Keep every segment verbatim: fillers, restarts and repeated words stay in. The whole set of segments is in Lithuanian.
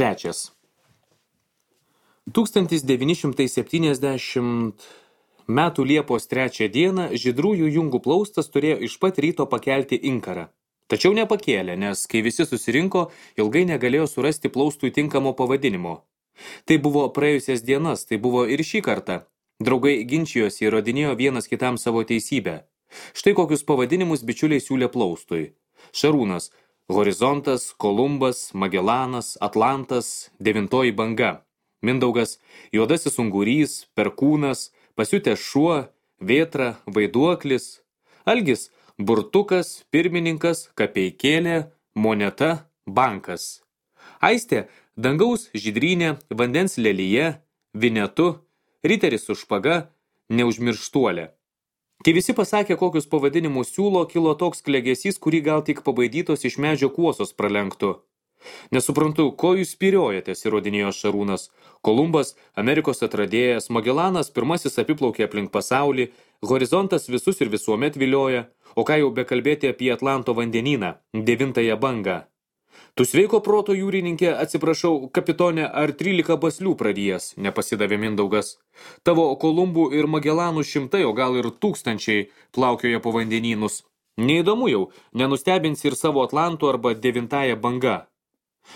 Trečias. tūkstantis devyni šimtai septyniasdešimt metų Liepos trečią dieną žydrųjų jungų plaustas turėjo iš pat ryto pakelti inkarą. Tačiau nepakėlė, nes kai visi susirinko, ilgai negalėjo surasti plaustui tinkamo pavadinimo. Tai buvo praėjusias dienas, tai buvo ir šį kartą. Draugai ginčijosi ir įrodinėjo vienas kitam savo teisybę. Štai kokius pavadinimus bičiuliai siūlė plaustui. Šarūnas, Horizontas, Kolumbas, Magellanas, Atlantas, Devintoji banga. Mindaugas, Juodasis ungurys, Perkūnas, Pasiutęs šuo, Vėtra, Vaiduoklis. Algis, Burtukas, Pirmininkas, Kapeikėlė, Moneta, Bankas. Aistė, Dangaus žydrynė, Vandens lelyje, Vinetu, Riteris su špaga, Neužmirštuolė. Kai visi pasakė, kokius pavadinimus siūlo, kilo toks klegesys, kurį gal tik pabaidytos iš medžio kuosos pralenktų. Nesuprantu, ko jūs spyriojatės, įrodinėjo Šarūnas. Kolumbas, Amerikos atradėjas, Magellanas pirmasis apiplaukė aplink pasaulį, Horizontas visus ir visuomet vilioja, o ką jau bekalbėti apie Atlanto vandenyną, Devintąją bangą. Tu sveiko proto jūrininkė, atsiprašau, kapitonė, ar trylika baslių pradėjęs, nepasidavė Mindaugas. Tavo Kolumbų ir Magellanų šimtai, o gal ir tūkstančiai plaukioja po vandenynus. Neįdomu jau, nenustebinsi ir savo Atlantų arba Devintąją banga.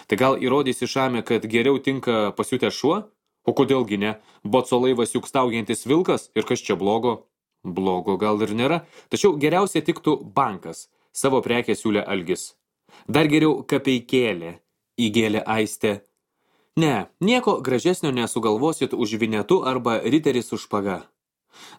Tai gal įrodysi Šame, kad geriau tinka Pasiutęs šuo? O kodėlgi ne? Boco laivas juk staugiantis vilkas, ir kas čia blogo? Blogo gal ir nėra, tačiau geriausia tiktų Bankas, savo prekę siūlė Algis. Dar geriau Kapeikėlė, įgėlė Aistė. Ne, nieko gražesnio nesugalvosit už Vinetu arba Riteris su špaga.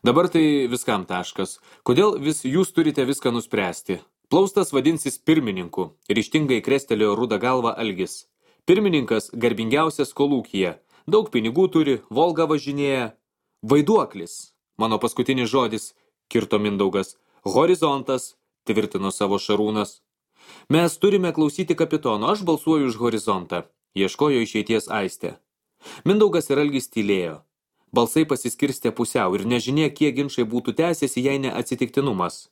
Dabar tai viskam taškas. Kodėl vis jūs turite viską nuspręsti? Plaustas vadinsis pirmininku, ryžtingai krestelėjo rudą galvą Algis. Pirmininkas garbingiausias kolūkyje, daug pinigų turi, Volga važinėja. Vaiduoklis, mano paskutinis žodis, kirto Mindaugas. Horizontas, tvirtino savo Šarūnas. Mes turime klausyti kapitono, aš balsuoju už Horizontą, ieškojo išeities Aistė. Mindaugas ir Algis tylėjo. Balsai pasiskirstė pusiau ir nežinia, kiek ginčai būtų tęsėsi, jei ne atsitiktinumas.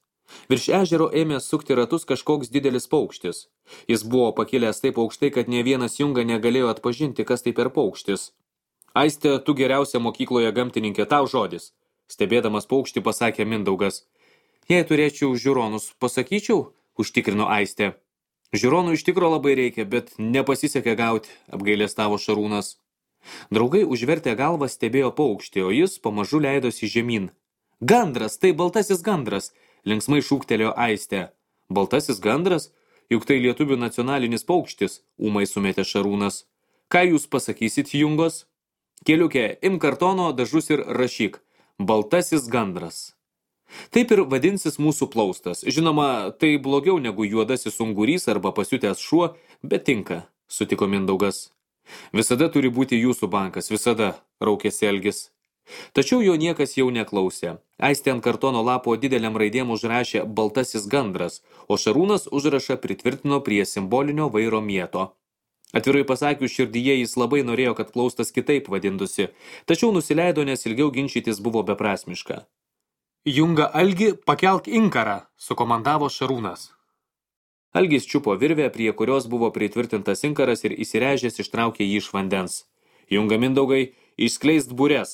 Virš ežero ėmė sukti ratus kažkoks didelis paukštis. Jis buvo pakilęs taip aukštai, kad ne vienas junga negalėjo atpažinti, kas tai per paukštis. Aistė, tu geriausia mokykloje gamtininkė, tau žodis. Stebėdamas paukštį pasakė Mindaugas. Jei turėčiau žiūronus, pasakyčiau, užtikrino Aistė. Žiūronų iš tikro labai reikia, bet nepasisekė gauti, apgailestavo Šarūnas. Draugai užvertę galvą stebėjo paukštį, o jis pamažu leidosi žemyn. Gandras, tai baltasis gandras, linksmai šūktelėjo Aistė. Baltasis gandras? Juk tai lietuvių nacionalinis paukštis, ūmai sumetė Šarūnas. Ką jūs pasakysit, jungos? Keliukė, im kartono, dažus ir rašyk. Baltasis gandras. Taip ir vadinsis mūsų plaustas. Žinoma, tai blogiau negu Juodasis ungurys arba Pasiutęs šuo, bet tinka, sutiko Mindaugas. Visada turi būti jūsų Bankas, visada, raukėsi Algis. Tačiau jo niekas jau neklausė. Aistė ant kartono lapo dideliam raidėm užrašė Baltasis gandras, o Šarūnas užrašą pritvirtino prie simbolinio vairo mieto. Atvirai pasakius, širdyje jis labai norėjo, kad plaustas kitaip vadintusi, tačiau nusileido, nes ilgiau ginčytis buvo beprasmiška. Junga Algi, pakelk inkarą, sukomandavo Šarūnas. Algis čiupo virvę, prie kurios buvo pritvirtintas inkaras ir įsirežęs ištraukė jį iš vandens. Junga Mindaugai, išskleist bures.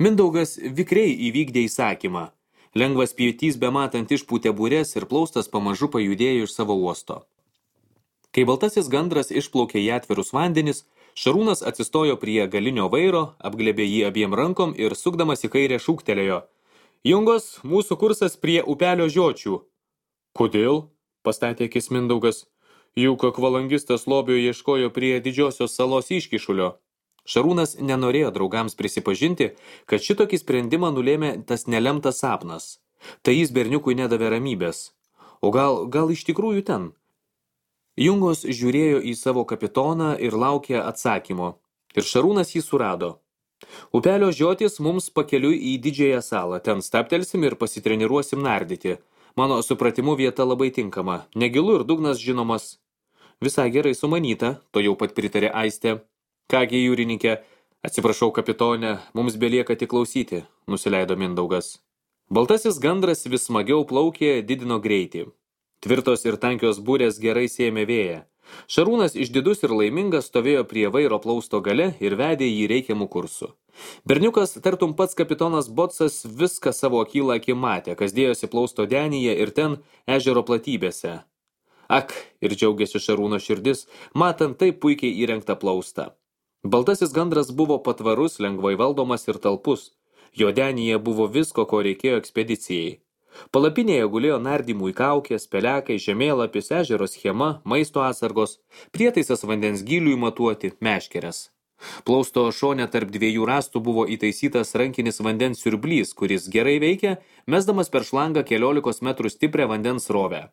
Mindaugas vikriai įvykdė įsakymą. Lengvas pietys bematant išpūtė bures ir plaustas pamažu pajudėjo iš savo uosto. Kai baltasis gandras išplaukė į atvirus vandenis, Šarūnas atsistojo prie galinio vairo, apglėbė jį abiem rankom ir sukdamas į kairę šūktelėjo. Jungos, mūsų kursas prie upelio žiočių. Kodėl? Pastatė akis Mindaugas. Juk akvalangistas lobio ieškojo prie didžiosios salos iškišulio. Šarūnas nenorėjo draugams prisipažinti, kad šitokį sprendimą nulėmė tas nelemtas sapnas. Tai jis berniukui nedavė ramybės. O gal, gal iš tikrųjų ten? Jungos žiūrėjo į savo kapitoną ir laukė atsakymo. Ir Šarūnas jį surado. Upelio žiotis mums pakeliui į didžiąją salą. Ten staptelsim ir pasitreniruosim nardyti. Mano supratimu vieta labai tinkama. Negilu ir dugnas žinomas. Visai gerai sumanyta, to jau pat pritarė Aistė. Kągi, jūrininkė, atsiprašau kapitonė, mums belieka tik klausyti, nusileido Mindaugas. Baltasis gandras vis smagiau plaukė, didino greitį. Tvirtos ir tankios burės gerai sėmė vėją. Šarūnas išdidus ir laimingas stovėjo prie vairo plausto gale ir vedė jį reikiamų kursų. Berniukas, tartum pats kapitonas Botsas, viską savo akylą akį matė, kas dėjosi plausto denyje ir ten ežero platybėse. Ak, ir džiaugiasi Šarūno širdis, matant taip puikiai įrengtą plaustą. Baltasis gandras buvo patvarus, lengvai valdomas ir talpus. Jo denyje buvo visko, ko reikėjo ekspedicijai. Palapinėje gulėjo nardymų į kaukės, pelekai, žemėlapis, ežero schema, maisto atsargos, prietaisas vandens gyliui matuoti, meškeres. Plausto šone tarp dviejų rąstų buvo įtaisytas rankinis vandens siurblys, kuris gerai veikia, mesdamas per šlangą keliolikos metrų stiprią vandens srovę.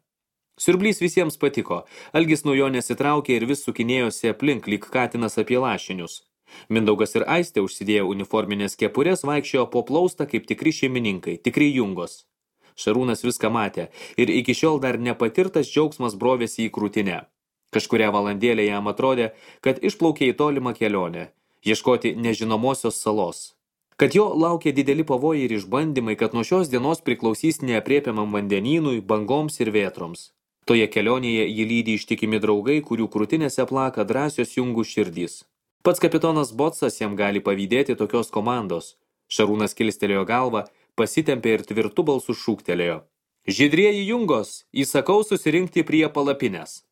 Siurblys visiems patiko, Algis nuo jo nesitraukė ir vis sukinėjosi aplink lyg katinas apie lašinius. Mindaugas ir Aistė užsidėjo uniforminės kepurės, vaikščiojo po plaustą kaip tikri šeimininkai, tikri jungos. Šarūnas viską matė ir iki šiol dar nepatirtas džiaugsmas brovėsi į krūtinę. Kažkurią valandėlę jam atrodė, kad išplaukė į tolimą kelionę, ieškoti nežinomosios salos. Kad jo laukia dideli pavojai ir išbandymai, kad nuo šios dienos priklausys neaprėpiamam vandenynui, bangoms ir vėtroms. Toje kelionėje jį lydi ištikimi draugai, kurių krūtinėse plaka drąsios jungų širdys. Pats kapitonas Botsas jam gali pavydėti tokios komandos. Šarūnas kilstelėjo galvą, pasitempė ir tvirtu balsu šūktelėjo. Žydrieji jungos, įsakau susirinkti prie palapinės.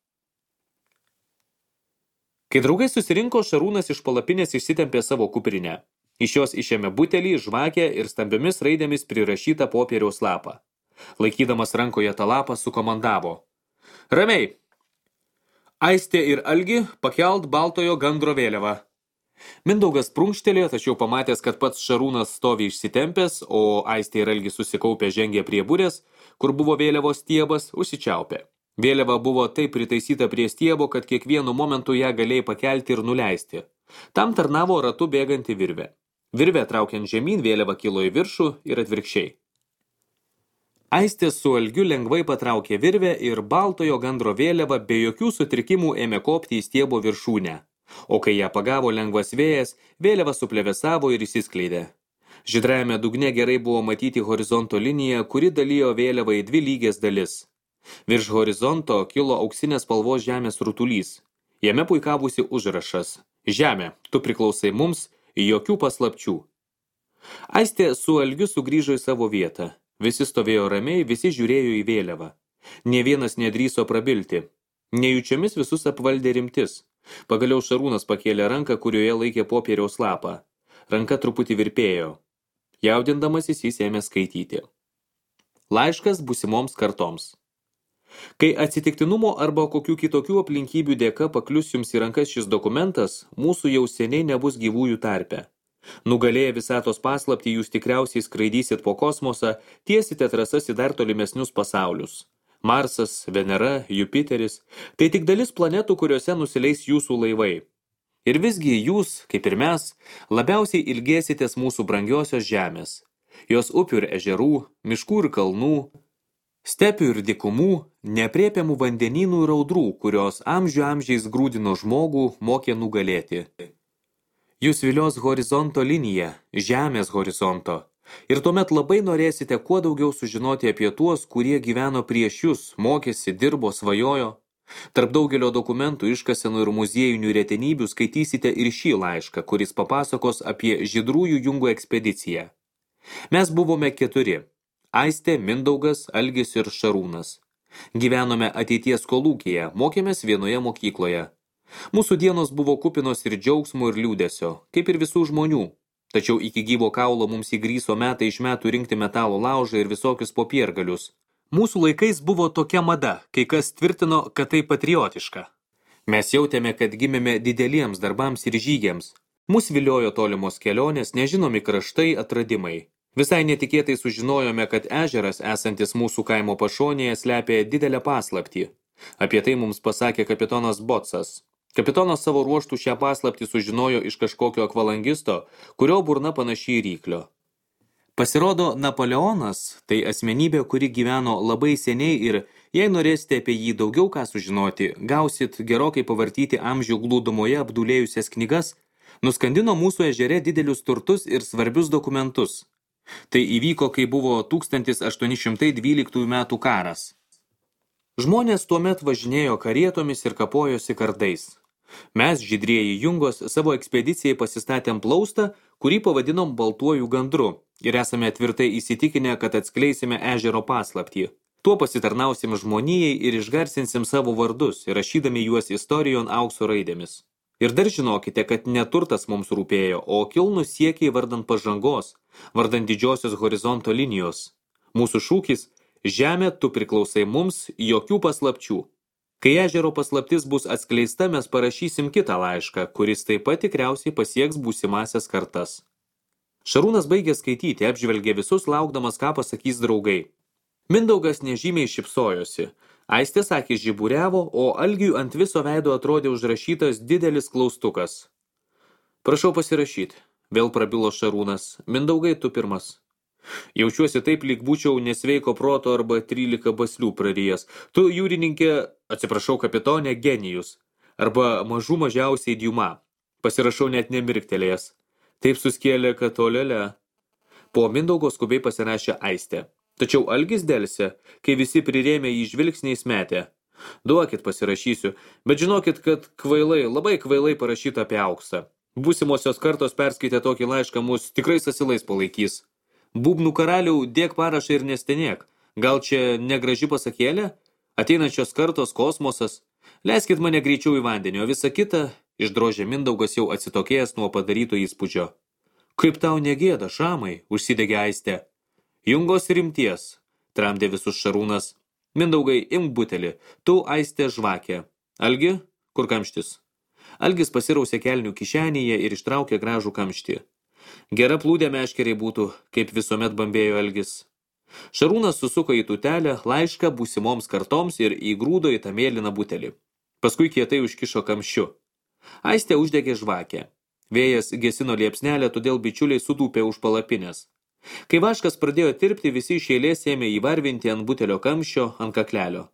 Kai draugai susirinko, Šarūnas iš palapinės išsitempė savo kuprinę. Iš jos išėmė butelį, žvakę ir stambiomis raidėmis prirašytą popieriaus lapą. Laikydamas rankoje tą lapą sukomandavo. Ramiai. Aistė ir Algi pakelt baltojo gandro vėliavą. Mindaugas prunkštelėjo, tačiau pamatęs, kad pats Šarūnas stovi išsitempęs, o Aistė ir Algis susikaupę žengė prie burės, kur buvo vėliavos stiebas, užsičiaupė. Vėliava buvo taip pritaisyta prie stiebo, kad kiekvienu momentu ją galėjai pakelti ir nuleisti. Tam tarnavo ratu bėganti virvė. Virvė traukiant žemyn, vėliava kilo į viršų ir atvirkščiai. Aistė su Algiu lengvai patraukė virvę ir baltojo gandro vėliava be jokių sutrikimų ėmė kopti į stiebo viršūnę. O kai ją pagavo lengvas vėjas, vėliava suplevėsavo ir įsiskleidė. Žydrajame dugne gerai buvo matyti horizonto liniją, kuri dalijo vėliavą į dvi lygias dalis. Virš horizonto kilo auksinės spalvos žemės rutulys. Jame puikavusi užrašas. Žemė, tu priklausai mums, jokių paslapčių. Aistė su Algiu sugrįžo į savo vietą. Visi stovėjo ramiai, visi žiūrėjo į vėliavą. Nė vienas nedrįso prabilti. Nejučiomis visus apvaldė rimtis. Pagaliau Šarūnas pakėlė ranką, kurioje laikė popieriaus lapą. Ranka truputį virpėjo. Jaudindamasis jis ėmė skaityti. Laiškas būsimoms kartoms. Kai atsitiktinumo arba kokių kitokių aplinkybių dėka paklius jums į rankas šis dokumentas, mūsų jau seniai nebus gyvųjų tarpe. Nugalėję visatos paslaptį, jūs tikriausiai skraidysit po kosmosą, tiesite trasas į dar tolimesnius pasaulius. Marsas, Venera, Jupiteris – tai tik dalis planetų, kuriuose nusileis jūsų laivai. Ir visgi jūs, kaip ir mes, labiausiai ilgėsitės mūsų brangiosios žemės. Jos upių ir ežerų, miškų ir kalnų, stepių ir dykumų, neaprėpiamų vandenynų ir audrų, kurios amžių amžiais grūdino žmogų, mokė nugalėti. Jūs vilios horizonto linija, žemės horizonto. Ir tuomet labai norėsite kuo daugiau sužinoti apie tuos, kurie gyveno prieš jūs, mokėsi, dirbo, svajojo. Tarp daugelio dokumentų, iškasenų ir muziejinių retenybių skaitysite ir šį laišką, kuris papasakos apie žydrųjų jungų ekspediciją. Mes buvome keturi – Aistė, Mindaugas, Algis ir Šarūnas. Gyvenome ateities kolūkyje, mokėmės vienoje mokykloje. Mūsų dienos buvo kupinos ir džiaugsmo ir liūdesio, kaip ir visų žmonių. Tačiau iki gyvo kaulo mums įgryso metai iš metų rinkti metalo laužą ir visokius popiergalius. Mūsų laikais buvo tokia mada, kai kas tvirtino, kad tai patriotiška. Mes jautėme, kad gimėme dideliems darbams ir žygiams. Mus viliojo tolimos kelionės, nežinomi kraštai, atradimai. Visai netikėtai sužinojome, kad ežeras, esantis mūsų kaimo pašonėje, slepia didelę paslaptį. Apie tai mums pasakė kapitonas Botsas. Kapitonas savo ruoštų šią paslaptį sužinojo iš kažkokio akvalangisto, kurio burna panaši į ryklio. Pasirodo, Napoleonas – tai asmenybė, kuri gyveno labai seniai ir, jei norėsite apie jį daugiau ką sužinoti, gausit gerokai pavartyti amžių glūdumoje apdulėjusias knygas, nuskandino mūsų ežere didelius turtus ir svarbius dokumentus. Tai įvyko, kai buvo tūkstantis aštuoni šimtai dvyliktųjų metų karas. Žmonės tuomet važinėjo karietomis ir kapojosi kardais. Mes, žydrieji jungos, savo ekspedicijai pasistatėm plaustą, kurį pavadinom baltuoju gandru ir esame tvirtai įsitikinę, kad atskleisime ežero paslaptį. Tuo pasitarnausim žmonijai ir išgarsinsim savo vardus, rašydami juos istorijon aukso raidėmis. Ir dar žinokite, kad neturtas mums rūpėjo, o kilnus siekiai vardant pažangos, vardant didžiosios horizonto linijos. Mūsų šūkis – žemė, tu priklausai mums, jokių paslapčių. Kai ežero paslaptis bus atskleista, mes parašysim kitą laišką, kuris taip pat tikriausiai pasieks būsimasias kartas. Šarūnas baigė skaityti, apžvelgė visus, laukdamas, ką pasakys draugai. Mindaugas nežymiai šipsojosi. Aistės akys žiburiavo, o Algiui ant viso veido atrodė užrašytas didelis klaustukas. Prašau pasirašyti, vėl prabilo Šarūnas. Mindaugai, tu pirmas. Jaučiuosi taip, lyg būčiau nesveiko proto arba trylika baslių prarijęs. Tu, jūrininkė, atsiprašau kapitonė, genijus. Arba mažų mažiausiai Diuma. Pasirašau net nemirktelėjęs. Taip suskėlė, kad olele. Po Mindaugo skubiai pasirašė Aistė. Tačiau Algis delsė, kai visi prirėmė jį žvilgsniais metė. Duokit pasirašysiu, bet žinokit, kad kvailai, labai kvailai parašyta apie auksą. Būsimosios kartos perskaitę tokį laišką mus tikrai asilais palaikys. Būbnų karaliau, dėk parašą ir nestenėk. Gal čia negraži pasakėlė? Ateinančios kartos kosmosas. Leiskit mane greičiau į vandenį, o visa kita išdrožė Mindaugas jau atsitokėjęs nuo padaryto įspūdžio. Kaip tau negėda, Šamai, užsidegė Aistė. Jungos rimties, tramdė visus Šarūnas. Mindaugai, imk butelį, tu Aistė žvakė. Algi, kur kamštis? Algis pasirausė kelnių kišenėje ir ištraukė gražų kamštį. Gera plūdė meškeriai būtų, kaip visuomet bambėjo Algis. Šarūnas susuko į tutelę laišką būsimoms kartoms ir įgrūdo į tą mėlyną butelį. Paskui kietai užkišo kamščiu. Aistė uždegė žvakę. Vėjas gesino liepsnelę, todėl bičiuliai sutūpė už palapinės. Kai vaškas pradėjo tirpti, visi iš eilės ėmė įvarvinti ant butelio kamščio, ant kaklelio.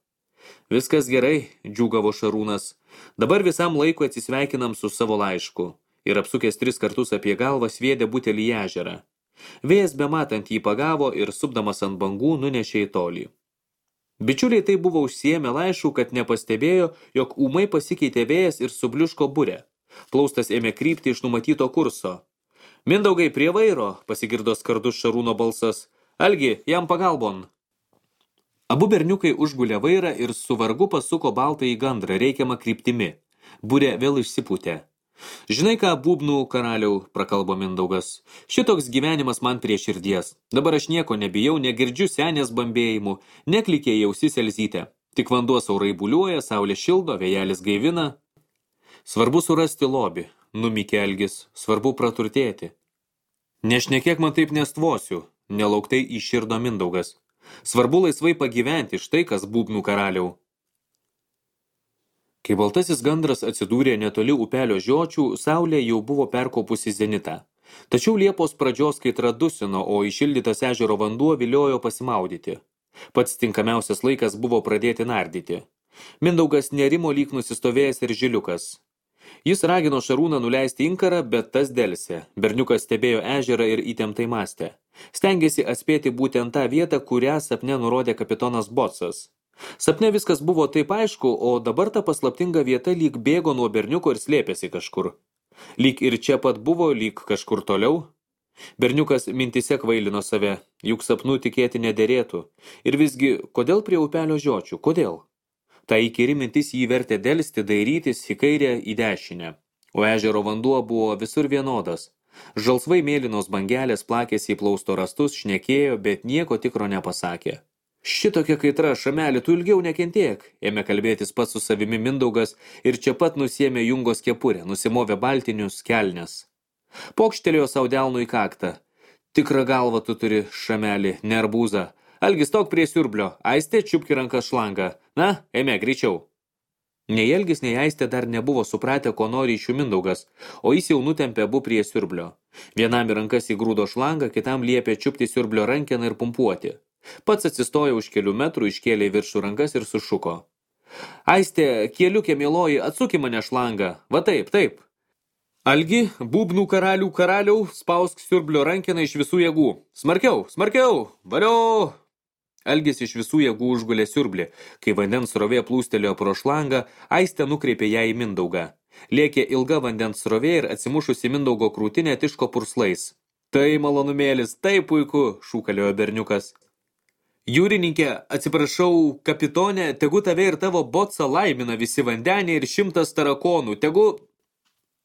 Viskas gerai, džiūgavo Šarūnas. Dabar visam laikui atsisveikinam su savo laišku. Ir apsukęs tris kartus apie galvą sviedė butelį į ežerą. Vėjas bematant jį pagavo ir supdamas ant bangų nunešė į tolį. Bičiuliai tai buvo užsiėmę laiškų, kad nepastebėjo, jog ūmai pasikeitė vėjas ir subliuško burė. Plaustas ėmė krypti iš numatyto kurso. Mindaugai prie vairo, pasigirdo skardus Šarūno balsas. Algi, jam pagalbon. Abu berniukai užgulė vairą ir su vargu pasuko baltą į gandrą reikiamą kryptimi. Burė vėl išsipūtė. Žinai ką, būbnų karaliau, prakalbo Mindaugas. Šitoks gyvenimas man prie širdies. Dabar aš nieko nebijau, negirdžiu senės bambėjimų, neklikė į ausis Elzytę. Tik vanduo saurai buliuoja, saulė šildo, vėjelis gaivina. Svarbu surasti lobį, numykė Algis, svarbu praturtėti. Nešnekėk man taip nestvosiu, nelauktai iširdo Mindaugas. Svarbu laisvai pagyventi, štai kas būbnų karaliau. Kai baltasis gandras atsidūrė netoli upelio žiočių, saulė jau buvo perkopusi zenitą. Tačiau Liepos pradžios kaitra dusino, o išildytas ežero vanduo viliojo pasimaudyti. Pats tinkamiausias laikas buvo pradėti nardyti. Mindaugas nerimo lyg nusistovėjęs ir žiliukas. Jis ragino Šarūną nuleisti inkarą, bet tas delsė. Berniukas stebėjo ežerą ir įtemptai mąstė. Stengėsi atspėti būtent tą vietą, kurią sapne nurodė kapitonas Botsas. Sapne viskas buvo taip aišku, o dabar ta paslaptinga vieta lyg bėgo nuo berniuko ir slėpėsi kažkur. Lyg ir čia pat buvo, lyg kažkur toliau. Berniukas mintise kvailino save, juk sapnų tikėti nederėtų. Ir visgi, kodėl prie upelio žiočių, kodėl? Ta įkyri mintis jį vertė delsti, dairytis į kairę, į dešinę. O ežero vanduo buvo visur vienodas. Žalsvai mėlynos bangelės plakėsi į plausto rastus, šnekėjo, bet nieko tikro nepasakė. Šitokia kaitra, Šameli, tu ilgiau nekentėk, ėmė kalbėtis pats su savimi Mindaugas ir čia pat nusiėmė Jungos kepurę, nusimovė baltinius kelnes. Pokštelėjo sau delnu į kaktą. Tikrą galvą tu turi, Šameli, ne arbūzą. Algis, tok prie siurblio, Aistė čiupki rankas šlangą. Na, ėmė, greičiau. Nei Algis, nei Aistė dar nebuvo supratę, ko nori iš jų Mindaugas, o jis jau nutempė abu prie siurblio. Vienam į rankas įgrūdo šlangą, kitam liepė čiupti siurblio rankeną ir pumpuoti. Pats atsistojo už kelių metrų, iškėlė viršų rankas ir sušuko. Aistė, kieliukė mieloji, atsuki mane šlangą. Va taip, taip. Algi, būbnų karalių karaliau, spausk siurblio rankeną iš visų jėgų. Smarkiau, smarkiau, vario. Algis iš visų jėgų užgulė siurblį. Kai vandens srovė plūstelėjo pro šlangą, Aistė nukreipė ją į Mindaugą. Lėkė ilga vandens srovė ir atsimušusi Mindaugo krūtinė tiško purslais. Tai malonumėlis, tai puiku, šūkaliojo berniukas. Jūrininkė, atsiprašau, kapitonė, tegu tave ir tavo botsą laimina visi vandeniai ir šimtas tarakonų, tegu...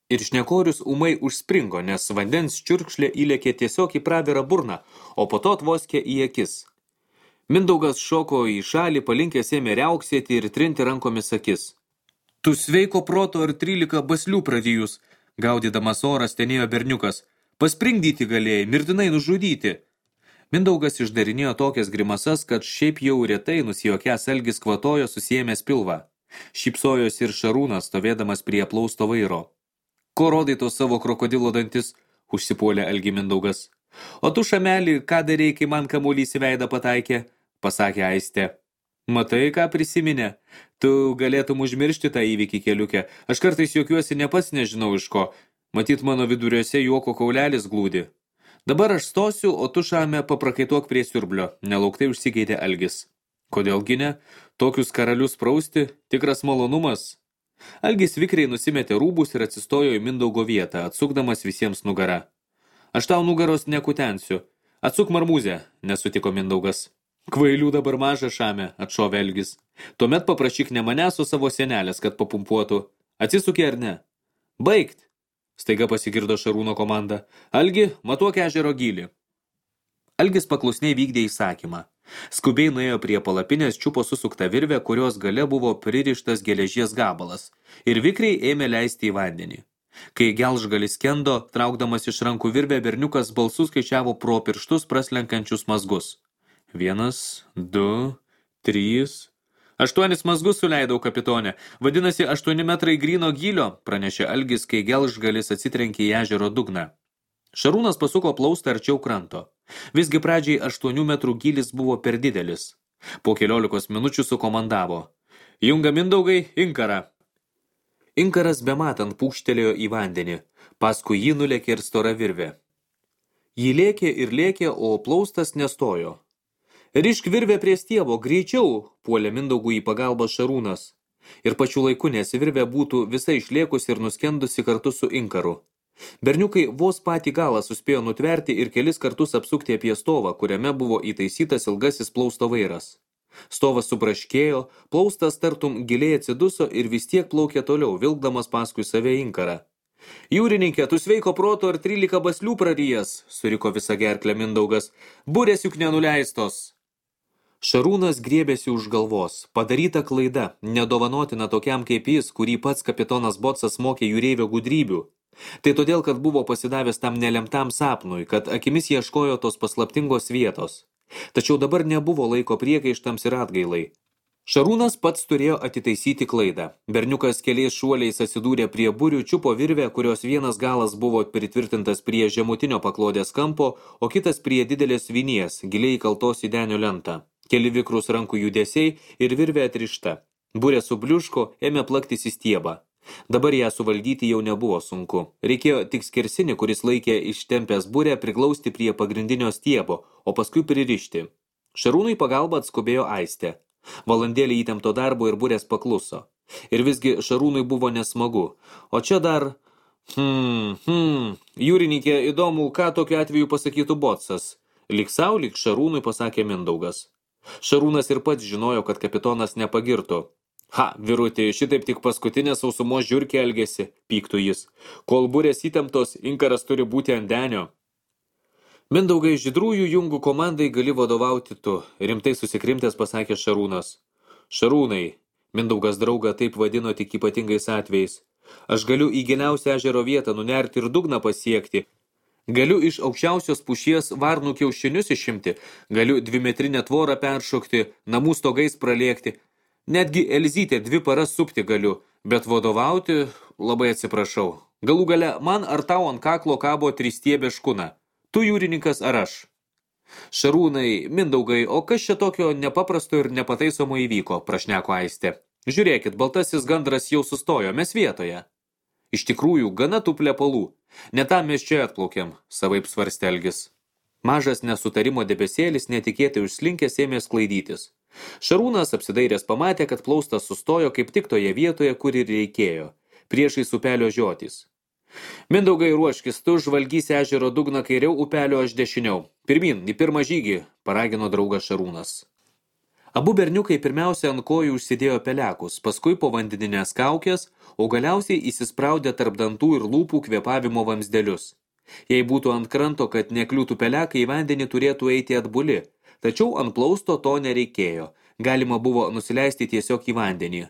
Ir šnekorius ūmai užspringo, nes vandens čiurkšlė įlėkė tiesiog į pravirą burną, o po to atvoskė į akis. Mindaugas šoko į šalį, palinkęs ėmė riauksėti ir trinti rankomis akis. Tu sveiko proto ar trylika baslių prarijus, gaudydamas oras tenėjo berniukas. Paspringdyti galėjai, mirtinai nužudyti. Mindaugas išdarinėjo tokias grimasas, kad šiaip jau retai nusijokęs Algis kvatojo susiėmęs pilvą. Šypsojosi ir Šarūnas, stovėdamas prie plausto vairo. Ko rodai tos savo krokodilo dantis, užsipuolė Algį Mindaugas. O tu, šamelį, ką darei, kai man kamuolys į veidą pataikė, pasakė Aistė. Matai, ką prisiminė? Tu galėtum užmiršti tą įvykį keliuke. Aš kartais juokiuosi ne pats nežinau iš ko. Matyt, mano viduriuose juoko kaulelis glūdi. Dabar aš stosiu, o tu, šame, paprakaituok prie siurblio. Nelauktai užsikeitė Algis. Kodėlgi ne? Tokius karalius prausti? Tikras malonumas. Algis vikriai nusimetė rūbus ir atsistojo į Mindaugo vietą, atsukdamas visiems nugarą. Aš tau nugaros nekutensiu. Atsuk marmūzę, nesutiko Mindaugas. Kvailių dabar maža, šame, atšovė Algis. Tuomet paprašyk ne manęs, o savo senelės, kad papumpuotų. Atsisukė ar ne? Baigt! Staiga pasigirdo Šarūno komanda. Algi, matuok ežero gylį. Algis paklusniai vykdė įsakymą. Skubiai nuėjo prie palapinės, čiupo susuktą virvę, kurios gale buvo pririštas geležies gabalas, ir vikriai ėmė leisti į vandenį. Kai gelžgalis skendo, traukdamas iš rankų virvę, berniukas balsu skaičiavo pro pirštus praslenkančius mazgus. Vienas, du, trys... Aštuonis mazgus suleidau, kapitonė. Vadinasi, aštuoni metrai gryno gylio, pranešė Algis, kai gelžgalis atsitrenkė į ežero dugną. Šarūnas pasuko plaustą arčiau kranto. Visgi pradžiai aštuonių metrų gylis buvo per didelis. Po keliolikos minučių sukomandavo. Junga Mindaugai, inkarą. Inkaras bematant pūkštelėjo į vandenį. Paskui jį nulėkė ir stora virvė. Jį lėkė ir lėkė, o plaustas nestojo. Rišk virvę prie stiebo, greičiau, puolė Mindaugui į pagalbą Šarūnas. Ir pačiu laiku, nes virvė būtų visai išlėkusi ir nuskendusi kartu su inkaru. Berniukai vos patį galą suspėjo nutverti ir kelis kartus apsukti apie stovą, kuriame buvo įtaisytas ilgasis plausto vairas. Stovas subraškėjo, plaustas tartum giliai atsiduso ir vis tiek plaukė toliau, vilkdamas paskui save inkarą. Jūrininkė, tu sveiko proto ar trylika baslių prarijęs, suriko visą gerklę Mindaugas. Burės juk nenuleistos. Šarūnas griebėsi už galvos. Padaryta klaida, nedovanotina tokiam kaip jis, kurį pats kapitonas Botsas mokė jūreivio gudrybių. Tai todėl, kad buvo pasidavęs tam nelemtam sapnui, kad akimis ieškojo tos paslaptingos vietos. Tačiau dabar nebuvo laiko priekaištams ir atgailai. Šarūnas pats turėjo atitaisyti klaidą. Berniukas keliais šuoliais atsidūrė prie burių, čiupo virvę, kurios vienas galas buvo pritvirtintas prie žemutinio paklodės kampo, o kitas prie didelės vinies, giliai įkaltos į denio lentą. Keli vikrus rankų judesiai ir virvė atrišta. Burė subliuško, ėmė plaktis į stiebą. Dabar ją suvaldyti jau nebuvo sunku. Reikėjo tik skersinį, kuris laikė ištempęs burę, priglausti prie pagrindinio stiebo, o paskui pririšti. Šarūnui pagalbą atskubėjo Aistė. Valandėlį įtempto darbo ir burės pakluso. Ir visgi Šarūnui buvo nesmagu. O čia dar... Hmm, hmm, jūrininkė, įdomu, ką tokiu atveju pasakytų Botsas. Lyg sau, lyg Šarūnui pasakė Mindaugas. Šarūnas ir pats žinojo, kad kapitonas nepagirtų. Ha, vyruti, šitaip tik paskutinė sausumos žiurkė elgėsi, pyktų jis. Kol burės įtemptos, inkaras turi būti ant denio. Mindaugai, žydrųjų jungų komandai gali vadovauti tu, rimtai susikrimtęs pasakė Šarūnas. Šarūnai, Mindaugas draugą taip vadino tik ypatingais atvejais. Aš galiu į giliausią ežero vietą nunerti ir dugną pasiekti. Galiu iš aukščiausios pušies varnų kiaušinius išimti, galiu dvimetrinę tvorą peršokti, namų stogais pralėkti. Netgi Elzytę dvi paras supti galiu, bet vadovauti labai atsiprašau. Galų gale man ar tau ant kaklo kabo tristiebė škuna. Tu jūrininkas ar aš? Šarūnai, Mindaugai, o kas čia tokio nepaprasto ir nepataisomo įvyko, prašneko Aistė. Žiūrėkit, baltasis gandras jau sustojo, mes vietoje. Iš tikrųjų, gana tų plepalų. Ne tam mes čia atplaukėm, savaip svarstė Algis. Mažas nesutarimo debesėlis netikėtai užslinkęs ėmė sklaidytis. Šarūnas apsidairęs pamatė, kad plaustas sustojo kaip tik toje vietoje, kur ir reikėjo, priešais upelio žiotys. Mindaugai, ruoškis, tu žvalgys ežero dugną kairiau, upelio aš dešiniau. Pirmin, į pirmą žygį, paragino draugas Šarūnas. Abu berniukai pirmiausia ant kojų užsidėjo pelekus, paskui po vandeninės kaukės, o galiausiai įsispraudė tarp dantų ir lūpų kvėpavimo vamzdelius. Jei būtų ant kranto, kad nekliūtų pelekai, į vandenį turėtų eiti atbuli, tačiau ant plausto to nereikėjo, galima buvo nusileisti tiesiog į vandenį.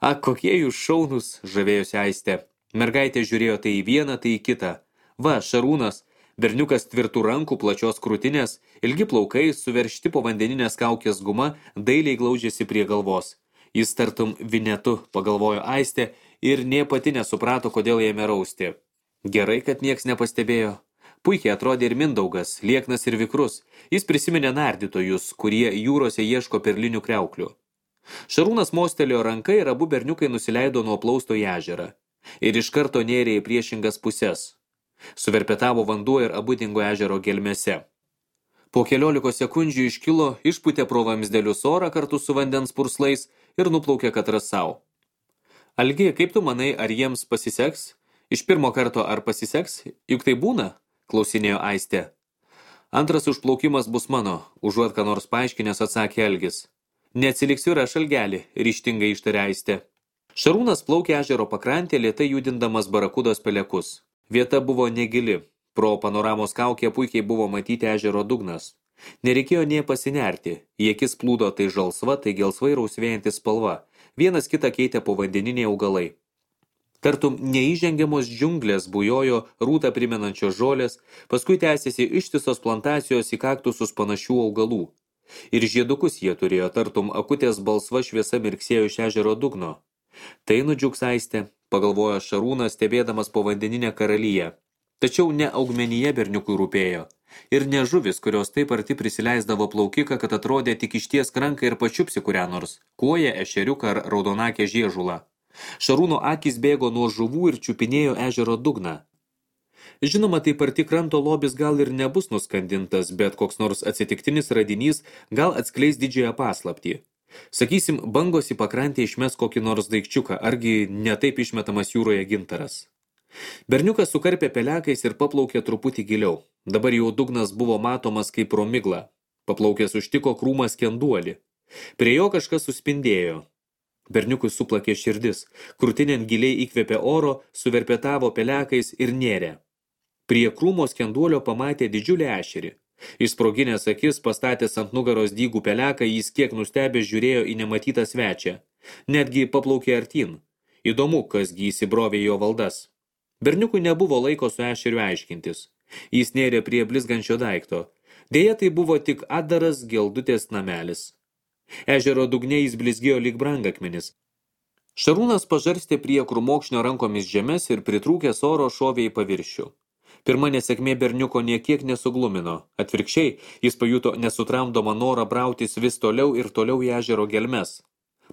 Ak, kokie jūs šaunus, žavėjosi Aistė. Mergaitė žiūrėjo tai į vieną, tai į kitą. Va, Šarūnas, berniukas tvirtų rankų, plačios krūtinės, ilgi plaukai, suveršti po vandeninės kaukės guma, dailiai glaudžiasi prie galvos. Jis tartum vinetu, pagalvojo Aistė, ir nė pati nesuprato, kodėl ėmė rausti. Gerai, kad nieks nepastebėjo. Puikiai atrodė ir Mindaugas, lieknas ir vikrus. Jis prisiminė nardytojus, kurie jūrose ieško perlinių kriauklių. Šarūnas mostelėjo ranką ir abu berniukai nusileido nuo plausto į ežerą. Ir iš karto nėrė į priešingas puses. Suverpetavo vanduo ir abu dingo ežero gelmėse. Po keliolikos sekundžių iškilo, išpūtė pro vamzdelius orą kartu su vandens purslais ir nuplaukė katras savo. Algi, kaip tu manai, ar jiems pasiseks? Iš pirmo karto ar pasiseks? Juk tai būna? Klausinėjo Aistė. Antras užplaukimas bus mano, užuot ką nors paaiškinęs atsakė Algis. Neatsiliksiu ir aš, Algelį, ryžtingai ištarė Aistė. Šarūnas plaukė ežero pakrantė, lėtai judindamas barakudos pelekus. Vieta buvo negili. Pro panoramos kaukę puikiai buvo matyti ežero dugnas. Nereikėjo nė pasinerti. Į akis plūdo tai žalsva, tai gelsvai rausvėjanti spalva. Vienas kitą keitė povandeniniai augalai. Tartum neįžengiamos džiunglės bujojo rūtą primenančios žolės, paskui tęsėsi ištisos plantacijos į kaktusus panašių augalų. Ir žiedukus jie turėjo, tartum akutės balsva šviesa mirksėjo iš ežero dugno. Tai nudžiugs Aistė, pagalvojo Šarūnas, stebėdamas povandeninę karalyje. Tačiau ne augmenyje berniukui rūpėjo. Ir ne žuvis, kurios taip arti prisileisdavo plaukiką, kad atrodė tik išties ranką ir pačiupsi kurią nors, kuoją, ešeriuką ar raudonakę žiežulą. Šarūno akys bėgo nuo žuvų ir čiupinėjo ežero dugną. Žinoma, taip arti kranto lobis gal ir nebus nuskandintas, bet koks nors atsitiktinis radinys gal atskleis didžiąją paslaptį. Sakysim, bangos į pakrantę išmes kokį nors daikčiuką, argi netaip išmetamas jūroje gintaras. Berniukas sukarpė pelekais ir paplaukė truputį giliau. Dabar jau dugnas buvo matomas kaip pro miglą. Paplaukęs užtiko krūmas kenduolį. Prie jo kažkas suspindėjo. Berniukui suplakė širdis, krūtinėn giliai įkvėpė oro, suverpetavo pelekais ir nėrė. Prie krūmo skenduolio pamatė didžiulį ešerį. Išsproginęs akis, pastatęs ant nugaros dygų peleką, jis kiek nustebęs žiūrėjo į nematytą svečią. Netgi paplaukė artin. Įdomu, kasgi įsibrovė jo valdas. Berniukui nebuvo laiko su ešeriu aiškintis. Jis nėrė prie blizgančio daikto. Deja, tai buvo tik atdaras geldutės namelis. Ežero dugne jis blizgėjo lyg brangakmenis. Šarūnas pažarstė prie krūmokšnio rankomis žemes ir pritrūkęs oro šovė į paviršių. Pirma nesėkmė berniuko niekiek nesuglumino. Atvirkščiai, jis pajuto nesutramdomą norą brautis vis toliau ir toliau į ežero gelmes.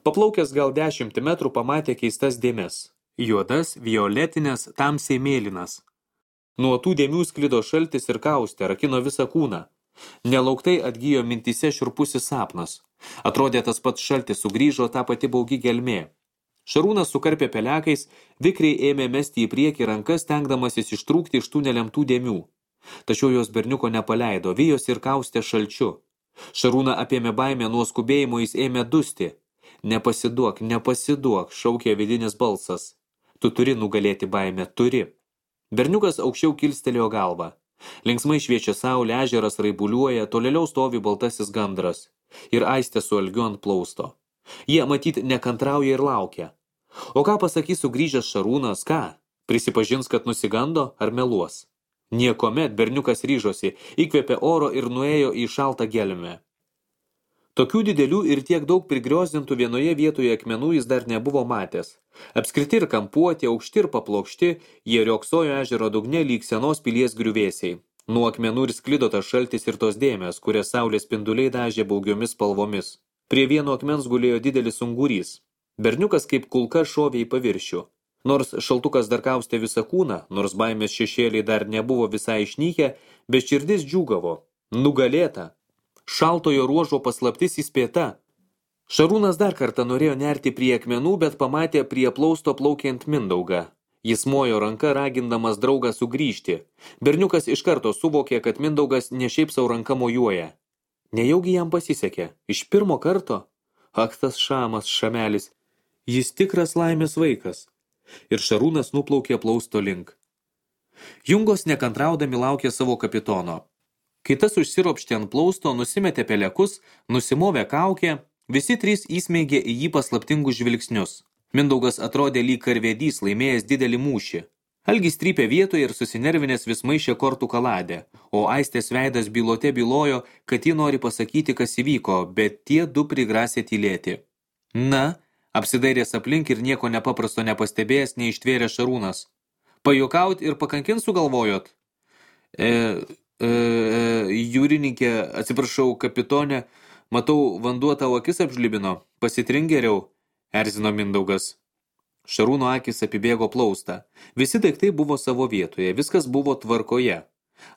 Paplaukęs gal dešimtį metrų pamatė keistas dėmes. Juodas, violetinės, tamsiai mėlynas. Nuo tų dėmių sklido šaltis ir kaustė, rakino visą kūną. Nelauktai atgijo mintyse šiurpusis sapnas. Atrodė tas pats šaltis, sugrįžo tą pati baugi gelmė. Šarūnas sukarpė pelekais, vikriai ėmė mesti į priekį rankas, stengdamasis ištrūkti iš tų nelemtų dėmių. Tačiau jos berniuko nepaleido, vijosi ir kaustė šalčiu. Šarūną apėmė baimę, nuo skubėjimo jis ėmė dusti. Nepasiduok, nepasiduok, šaukė vidinis balsas. Tu turi nugalėti baimę, turi. Berniukas aukščiau kilstelėjo galvą. Linksmai šviečia saulė, ežeras raibuliuoja, tolėliau stovi baltasis gandras. Ir Aistė su Algiu ant plausto. Jie matyt nekantrauja ir laukia. O ką pasakys sugrįžęs Šarūnas, ką? Prisipažins, kad nusigando ar meluos? Niekomet berniukas ryžosi, įkvėpė oro ir nuėjo į šaltą gelmę. Tokių didelių ir tiek daug prigriozdintų vienoje vietoje akmenų jis dar nebuvo matęs. Apskriti ir kampuoti, aukšti ir paplokšti, jie rioksojo ežero dugne lyg senos pilies griuvėsiai. Nuo akmenų ir sklido tas šaltis ir tos dėmės, kurias saulės spinduliai dažė baugiomis spalvomis. Prie vieno akmens gulėjo didelis ungurys. Berniukas kaip kulka šovė į paviršių. Nors šaltukas dar kaustė visą kūną, nors baimės šešėliai dar nebuvo visai išnykę, bet širdis džiūgavo. Nugalėta. Šaltojo ruožo paslaptis įspėta. Šarūnas dar kartą norėjo nerti prie akmenų, bet pamatė prie plausto plaukiant Mindaugą. Jis mojo ranka ragindamas draugą sugrįžti. Berniukas iš karto suvokė, kad Mindaugas ne šiaip sau ranka mojuoja. Nejaugi jam pasisekė. Iš pirmo karto? Ak, tas šamas, šamelis. Jis tikras laimės vaikas. Ir Šarūnas nuplaukė plausto link. Jungos nekantraudami laukė savo kapitono. Kai tas užsiropštė ant plausto, nusimetė pelekus, nusimovė kaukę, visi trys įsmeigė į jį paslaptingus žvilgsnius. Mindaugas atrodė lyg karvedys laimėjęs didelį mūšį. Algis trypė vietoje ir susinervinęs vis maišė kortų kaladę, o Aistės veidas bylote bylojo, kad ji nori pasakyti, kas įvyko, bet tie du prigrasė tylėti. Na, apsidairęs aplink ir nieko nepaprasto nepastebėjęs, neištvėrė Šarūnas. Pajuokaut ir pakankint sugalvojot? E, e, e, jūrininkė, atsiprašau, kapitone, matau, vanduo tavo akis apžlibino, pasitrink geriau, erzino Mindaugas. Šarūno akis apibėgo plaustą. Visi daiktai buvo savo vietoje, viskas buvo tvarkoje.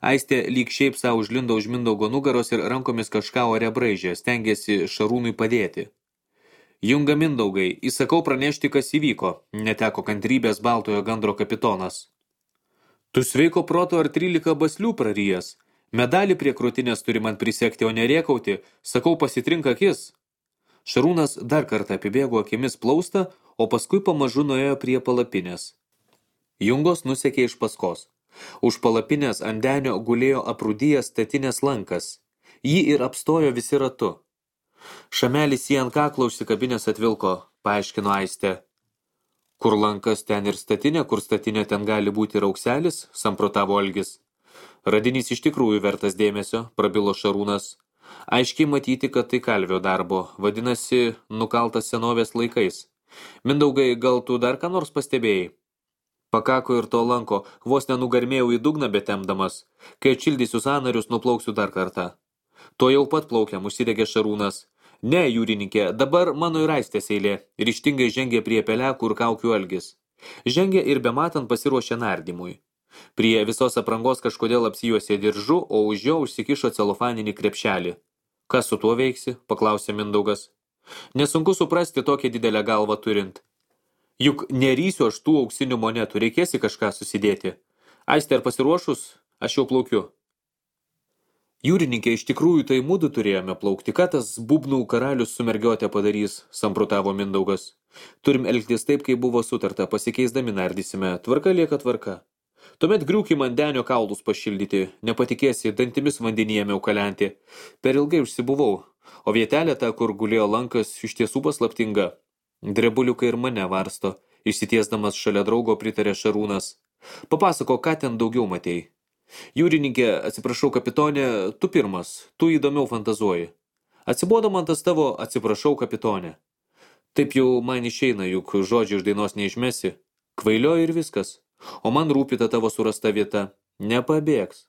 Aistė lyg šiaip savo užlindo už Mindaugo nugaros ir rankomis kažką ore braižė, stengėsi Šarūnui padėti. Junga Mindaugai, įsakau pranešti, kas įvyko, neteko kantrybės baltojo gandro kapitonas. Tu sveiko proto ar trylika baslių prarijęs. Medalį prie krūtinės turi man prisekti, o nerėkauti, sakau pasitrink akis. Šarūnas dar kartą apibėgo akimis plaustą, o paskui pamažu nuėjo prie palapinės. Jungos nusekė iš paskos. Už palapinės ant denio gulėjo aprūdijęs statinės lankas. Jį ir apstojo visi ratu. Šamelis jį ant kaklo užsikabinės atvilko, paaiškino Aistė. Kur lankas ten ir statinė, kur statinė ten gali būti raukselis, samprotavo Algis. Radinys iš tikrųjų vertas dėmesio, prabilo Šarūnas. Aiškiai matyti, kad tai kalvio darbo, vadinasi, nukaltas senovės laikais. Mindaugai, gal tu dar ką nors pastebėjai? Pakako ir to lanko, vos nenugarmėjau į dugną betemdamas. Kai atšildysiu sąnarius, nuplauksiu dar kartą. To jau pat plaukiam, užsidegė Šarūnas. Ne, jūrininkė, dabar mano ir Aistės eilė. Ryžtingai žengė prie pelekų ir kaukių Algis. Žengė ir bematant pasiruošė nardymui. Prie visos aprangos kažkodėl apsijuosė diržu, o už jo užsikišo celofaninį krepšelį. Kas su tuo veiksi? Paklausė Mindaugas. Nesunku suprasti tokią didelę galvą turint. Juk nerysiu aš tų auksinių monetų, reikėsi kažką susidėti. Aistė, ar pasiruošus? Aš jau plaukiu. Jūrininkė, iš tikrųjų tai mudu turėjome plaukti. Ką tas bubnų karalius su mergiotė padarys, samprotavo Mindaugas. Turim elgtis taip, kaip buvo sutarta, pasikeisdami nardysime. Tvarka lieka tvarka. Tuomet griūkim ant denio kaulus pašildyti, nepatikėsi, dantimis vandenyje ėmiau kalenti. Per ilgai užsibuvau, o vietelė ta, kur gulėjo lankas, iš tiesų paslaptinga. Drebuliukai ir mane varsto, išsitiesdamas šalia draugo pritarė Šarūnas. Papasako, ką ten daugiau matei. Jūrininkė, atsiprašau kapitonė, tu pirmas, tu įdomiau fantazuoji. Atsibodo man tas tavo atsiprašau kapitonė. Taip jau man išeina, juk žodžių iš dainos neišmesi. Kvailioji ir viskas. O man rūpi ta tavo surasta vieta. Nepabėgs.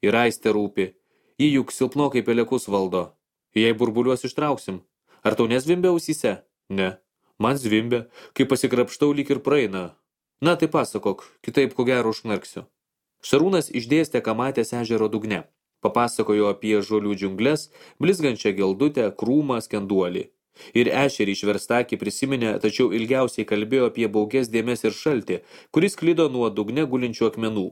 Ir Aistė rūpi. Ji juk silpnokai pelekus valdo. Jei burbuliuos ištrauksim. Ar tau nezvimbia ausyse? Ne. Man zvimbia. Kai pasikrapštau, lyg ir praeina. Na tai pasakok, kitaip ko gero užknarksiu. Šarūnas išdėstė, ką matęs ežero dugne. Papasakojo apie žolių džiungles, blizgančią geldutę, krūmą, skenduolį. Ir ešerį išverstakį prisiminė, tačiau ilgiausiai kalbėjo apie baugias dėmes ir šaltį, kuris klido nuo dugne gulinčių akmenų.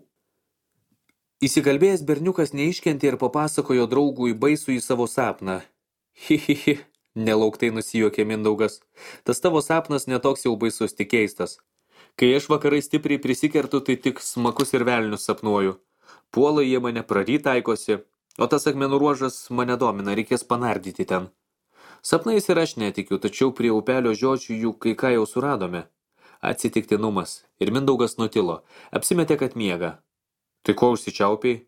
Įsikalbėjęs berniukas neiškentė ir papasakojo draugui baisų į savo sapną. Hi, hi, hi, nelauktai nusijuokė Mindaugas. Tas tavo sapnas netoks jau baisus, tik keistas. Kai aš vakarai stipriai prisikertu, tai tik smakus ir velnius sapnuoju. Puola jie mane praryt taikosi, o tas akmenų ruožas mane domina, reikės panardyti ten. Sapnais ir aš netikiu, tačiau prie upelio žiočių jų kai ką jau suradome. Atsitiktinumas. Ir Mindaugas nutilo. Apsimetė, kad miega. Tai ko užsičiaupiai?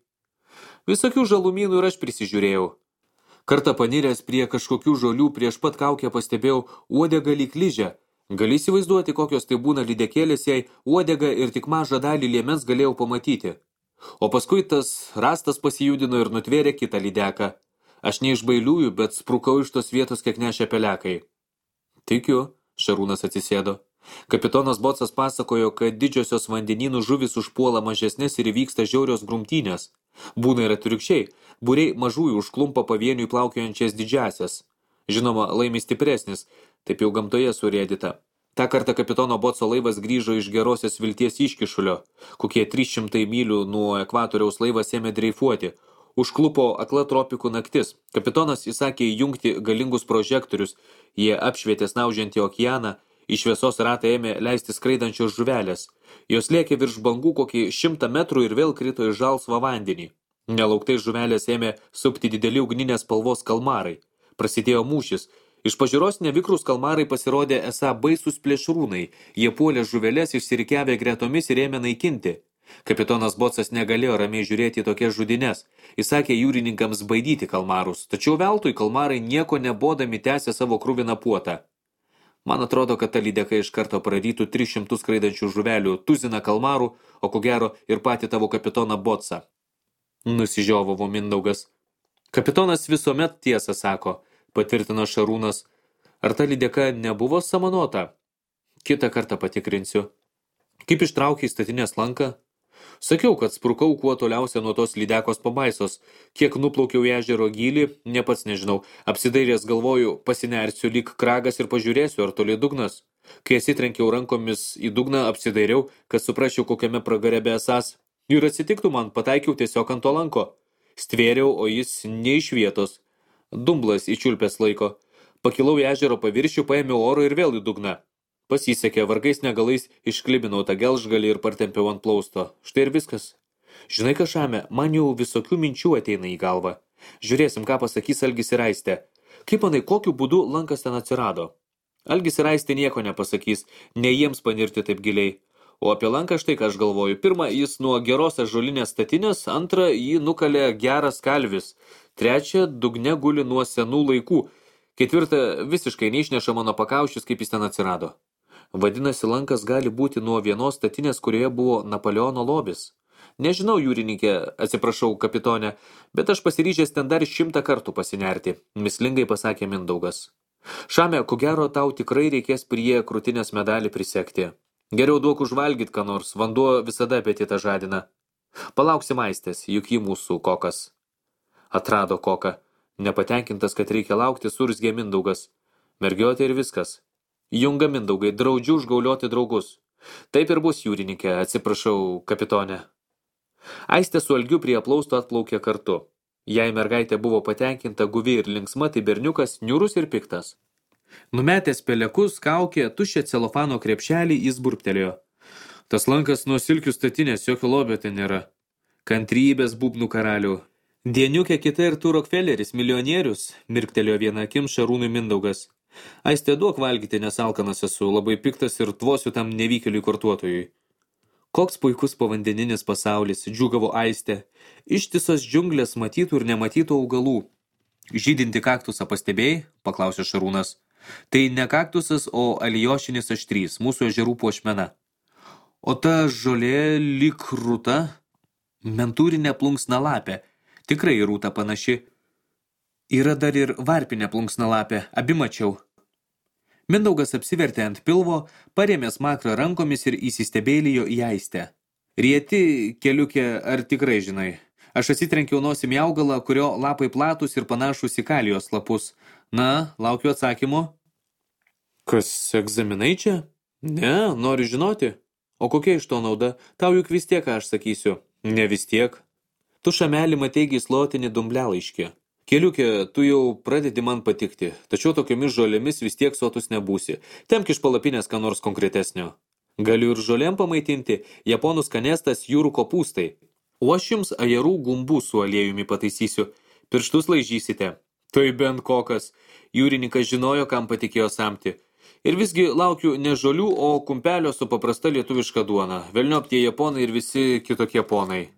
Visokių žalumynų ir aš prisižiūrėjau. Kartą paniręs prie kažkokių žolių prieš pat kaukę pastebėjau uodegą lyg ližę. Gali įsivaizduoti, kokios tai būna lydekėlės, jei uodegą ir tik mažą dalį liemens galėjau pamatyti. O paskui tas rastas pasijudino ir nutvėrė kitą lydeką. Aš ne iš bailiųjų, bet sprukau iš tos vietos, kiek nešė pelekai. Tikiu, Šarūnas atsisėdo. Kapitonas Botsas pasakojo, kad didžiosios vandenynų žuvis užpuola mažesnės ir įvyksta žiaurios grumtynės. Būna ir atvirkščiai, būriai mažųjų užklumpa pavieniui plaukiojančias didžiasias. Žinoma, laimi stipresnis, taip jau gamtoje surėdyta. Ta kartą kapitono Botso laivas grįžo iš gerosios vilties iškišulio. Kokie trys šimtai mylių nuo ekvatoriaus laivas ėmė dreifuoti. Užklupo akla tropikų naktis. Kapitonas įsakė įjungti galingus prožektorius. Jie apšvietė snaužiantį okeaną. Iš šviesos ratą ėmė leisti skraidančios žuvelės. Jos lėkė virš bangų kokį šimtą metrų ir vėl krito į žalsvą vandenį. Nelauktai žuvelės ėmė supti dideli ugninės spalvos kalmarai. Prasidėjo mūšis. Iš pažiūros nevikrus kalmarai pasirodė esą baisus plėšrūnai. Jie puolė žuvelės išsirikiavę gretomis ir ėmė naikinti. Kapitonas Botsas negalėjo ramiai žiūrėti į tokias žudines. Įsakė jūrininkams baidyti kalmarus, tačiau veltui kalmarai nieko nebodami tęsė savo kruviną puotą. Man atrodo, kad ta lydeka iš karto prarytų tris šimtus skraidančių žuvelių, tuziną kalmarų, o ko gero ir patį tavo kapitoną Botsą. Nusižiovavo Mindaugas. Kapitonas visuomet tiesą sako, patvirtino Šarūnas. Ar ta lydeka nebuvo samanota? Kitą kartą patikrinsiu. Kaip ištraukė į statinės lanką? Sakiau, kad sprukau kuo toliausia nuo tos lydekos pabaisos. Kiek nuplaukiau į ežero gylį, ne pats nežinau. Apsidairęs galvoju, pasinersiu lyg kragas ir pažiūrėsiu, ar toli dugnas. Kai atsitrenkiau rankomis į dugną, apsidairiau, kad suprasčiau, kokiame pragare besąs. Ir atsitiktų man, pataikiau tiesiog ant to lanko. Stvėriau, o jis ne iš vietos. Dumblas įčiulpęs laiko. Pakilau į ežero paviršių, paėmiau oro ir vėl į dugną. Pasisekė, vargais negalais išklibinau tą gelžgalį ir partempiau ant plausto. Štai ir viskas. Žinai, Kašame, man jau visokių minčių ateina į galvą. Žiūrėsim, ką pasakys Algis ir Aistė. Kaip manai, kokiu būdu lankas ten atsirado? Algis ir Aistė nieko nepasakys, ne jiems panirti taip giliai. O apie lanką štai ką aš galvoju. Pirma, jis nuo geros ąžuolinės statinės, antra, jį nukalė geras kalvis. Trečia, dugne guli nuo senų laikų. Ketvirta, visiškai neišneša mano pakaušis, kaip jis ten atsirado. Vadinasi, lankas gali būti nuo vienos statinės, kurioje buvo Napoleono lobis. Nežinau, jūrininkė, atsiprašau, kapitonė, bet aš pasiryžęs ten dar šimtą kartų pasinerti, mislingai pasakė Mindaugas. Šame, ko gero, tau tikrai reikės prie krūtinės medalį prisekti. Geriau duok užvalgyt, ką nors, vanduo visada apetitą žadina. Palauksim Aistės, juk ji mūsų kokas. Atrado koką. Nepatenkintas, kad reikia laukti, surzgė Mindaugas. Mergiotė ir viskas. Junga Mindaugai, draudžiu užgaulioti draugus. Taip ir bus, jūrininkė, atsiprašau, kapitonė. Aistė su Algiu prie aplausto atplaukė kartu. Jei mergaitė buvo patenkinta, guvi ir linksma, tai berniukas niūrus ir piktas. Numetęs pelekus, kaukė, tuščią celofano krepšelį, jis burptelėjo. Tas lankas nuo silkių statinės, jokio lobio ten nėra. Kantrybės būbnų karalių. Dieniukė kita ir tu Rokfeleris, milijonierius, mirktelėjo vieną akim Šarūnui Mindaugas. Aistė, duok valgyti, nes alkanas esu, labai piktas ir tvosiu tam nevykėliui kortuotojui. Koks puikus povandeninis pasaulis, džiūgavo Aistė. Ištisos džiunglės matytų ir nematytų augalų. Žydinti kaktusą pastebėjai? Paklausė Šarūnas. Tai ne kaktusas, o alijošinis aštrys, mūsų ežerų puošmena. O ta žolė lyg rūta? Mentūrinė plunksnalapė. Tikrai rūta panaši. Yra dar ir varpinė plunksnalapė, abi mačiau. Mindaugas apsivertė ant pilvo, parėmė smakrą rankomis ir įsistebėlijo į Aistę. Rieti, keliukė, ar tikrai žinai? Aš atsitrenkiau nosim į augalą, kurio lapai platus ir panašus į kalijos lapus. Na, laukiu atsakymo. Kas, egzaminai čia? Ne, nori žinoti. O kokia iš to nauda? Tau juk vis tiek, aš sakysiu. Ne vis tiek. Tu Šamelį matei gyslotinį dumblelaiškį. Keliukė, tu jau pradedi man patikti, tačiau tokiomis žolėmis vis tiek sotus nebūsi. Temk iš palapinės ką nors konkretesnio. Galiu ir žolėm pamaitinti, japonų skanestas jūrų kopūstai. O aš jums ajerų gumbų su aliejumi pataisysiu. Pirštus laižysite. Tai bent kokas. Jūrininkas žinojo, kam patikėjo samti. Ir visgi laukiu ne žolių, o kumpelio su paprasta lietuviška duona. Velniop tie japonai ir visi kitokie ponai.